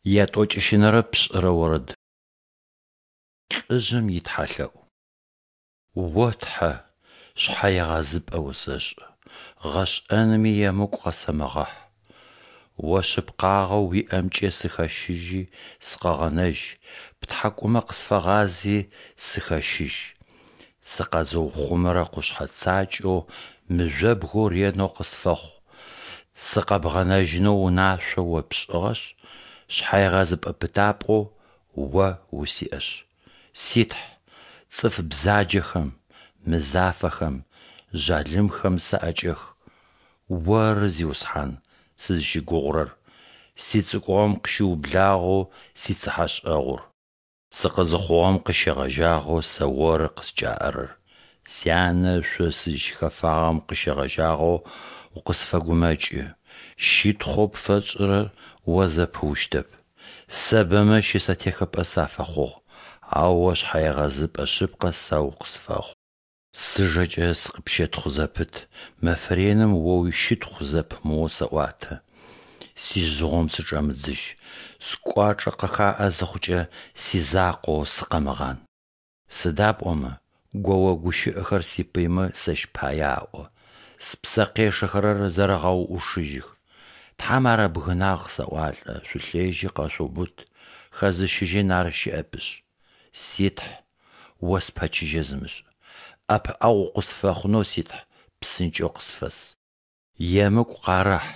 Ятӏокӏищынэрэ пшӏырэ орэд. Лӏыжъым итхьалъэӏу. О Тхьэ, шъхьэегъэзыпӏэ усэшӏы, гъэшӏэными емыкӏу къэсэмыгъэхь. О шъыпкъагъэу уиӏэмкӏэ сыхэщыжьи сыкъэгъэнэжь, птхьакӏумэ къысфэгъази, сыхэщыжь. Сыкъэзыухъумэрэ къушъхьэ цакӏэу мыжъобгэу ренэу къысфэхъу, сыкъэбгъэнэжьынэу унашъо О пшӏыгъэшъ, шъхьэегъэзыпӏэ пытапӏэу О усиӏэшъ. Си Тхь, цӏыф бзаджэхэм, мызафэхэм, жъалымхэм саӏэкӏэх. Оры, Зиусхьан, сызыщыгугъырэр, сицӏыкӏугъом къыщыублагъэу сицыхьэшӏэгъур. Сыкъызыхъугъэм къыщегъэжьагъэу сэ Оры къыскӏаӏэрэр, сянэ ышъо сызщыхэфагъэм къыщегъэжьагъэу укъысфэгумэкӏы, щытхъоу пфэсшӏырэр О зэпыущтэп. Сэ бэмэ щысэтехыпӏэ сафэхъугъ, ау О шъхьэегъэзыпӏэ шъыпкъэ сэ укъысфэхъу. Сыжэкӏэ сыкъыпщэтхъу зэпыт, мэфэ реным О уищытхъу зэпымыоу сэӏуатэ. Сижъыгъом сычӏэмыдзыжь, скӏуачӏэ къыхаӏэ зыхъукӏэ, сизакъоу сыкъэмыгъан. Сыда пӏомэ гоо гущыӏэхэр сипыймэ сэщ пае аӏо, спсэ къешэхэрэр зэрэгъэуӏушыжьых. Тхьэм ар ыбгынагъ къысаӏуалӏэ, шъулъежьи къэшъуубыт, хэзыщыжьын ар щыӏэпышъ. Си Тхь, О спэчыжьэ зымышӏ, ӏэпыӏэгъу укъысфэхъунэу, си Тхь, псынкӏэу къысфэс. Емыкӏу къарэхь,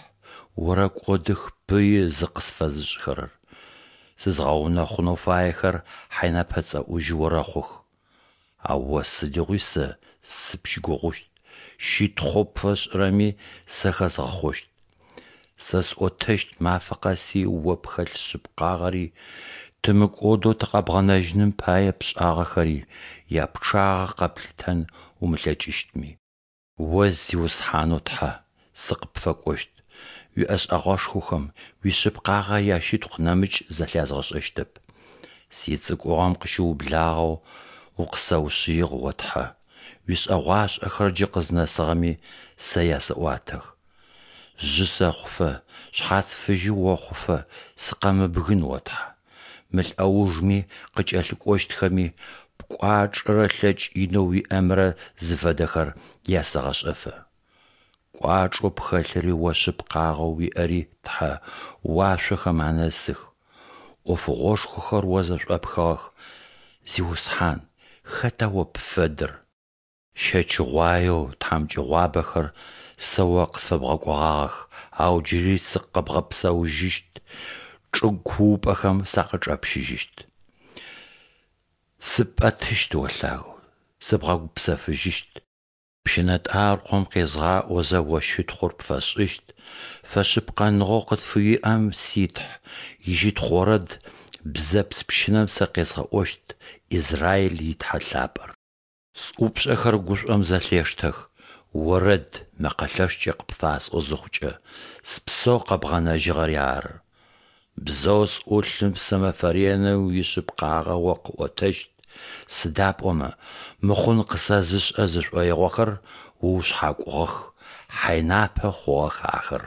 орэкӏодых пыи зыкъысфэзышӏхэрэр, сызгъэунэхъунэу фаехэр хьэйнэпэ цӏэӏужьы орэхъух. Ау О сыдигъуи сэ сыпщыгугъыщт, щытхъоу пфэсшӏырэми сэ хэзгъэхъощт. Сэ сӏотэщт мафэ къэси О пхэлъ шъыпкъагъэри, тымыкӏодэу тыкъэбгъэнэжьыным пае пшӏагъэхэри, япчъагъэ къэплъытэн умылъэкӏыщтми. О Зиусхьанэу Тхьэ, сыкъыпфэкӏощт, уиӏэшӏэгъэшхохэм, уишъыпкъагъэ ящытхъу нэмыкӏ зэлъязгъэшӏэщтэп. Сицӏыкӏугъом къыщыублагъэу укъысэушъыигъ, о Тхьэ, уишӏэгъуашӏэхэр джы къызнэсыгъэми сэ ясэӏуатэх. Жъы сэхъуфэ, шъхьац фыжьы охъуфэ сыкъэмыбгын, о Тхьэ. Мы лӏэужми къыкӏэлъыкӏощтхэми пкӏуачӏэрэ лъэкӏ инэу уиӏэмрэ зыфэдэхэр ясэгъэшӏэфэ. Кӏуачӏэу пхэлъыри О шъыпкъагъэу уиӏэри, Тхьэ, уашъохэм анэсых. Ӏофыгъошхохэр О зэшӏопхыгъэх, Зиусхьан, хэта О пфэдэр? Щэчыгъуаеу тхьамыкӏэгъуабэхэр сэ О къысфэбгъэкӏогъагъэх, ау джыри сыкъэбгъэпсэужьыщт, чӏыгу куупӏэхэм сакъычӏэпщыжьыщт. Сыпӏэтыщт О лъагэу, сыбгъэгупсэфыжьыщт. Пщынэтӏаркъом къезгъаӏозэ О щытхъур пфэсшӏыщт, фэшъыпкъэныгъэу къытфыуиӏэм, си Тхь, ищытхъу орэд бзэпс пщынэм сэ къезгъэӏощт, Израиль и Тхьэ лъапӏэр. Сӏупшӏэхэр гушӏом зэлъештэх, орэд мэкъэ лъэшкӏэ къыпфасӏо зыхъукӏэ, спсэу къэбгъэнэжьыгъэри ары. Бзэу сӏулъым сэ мэфэ реным уишъыпкъагъэ О къыӏотэщт, сыда пӏомэ мыхъун къысэзышӏэ зышӏоигъохэр Уушъхьакӏугъэх, хьэйнапэ хъугъэх ахэр.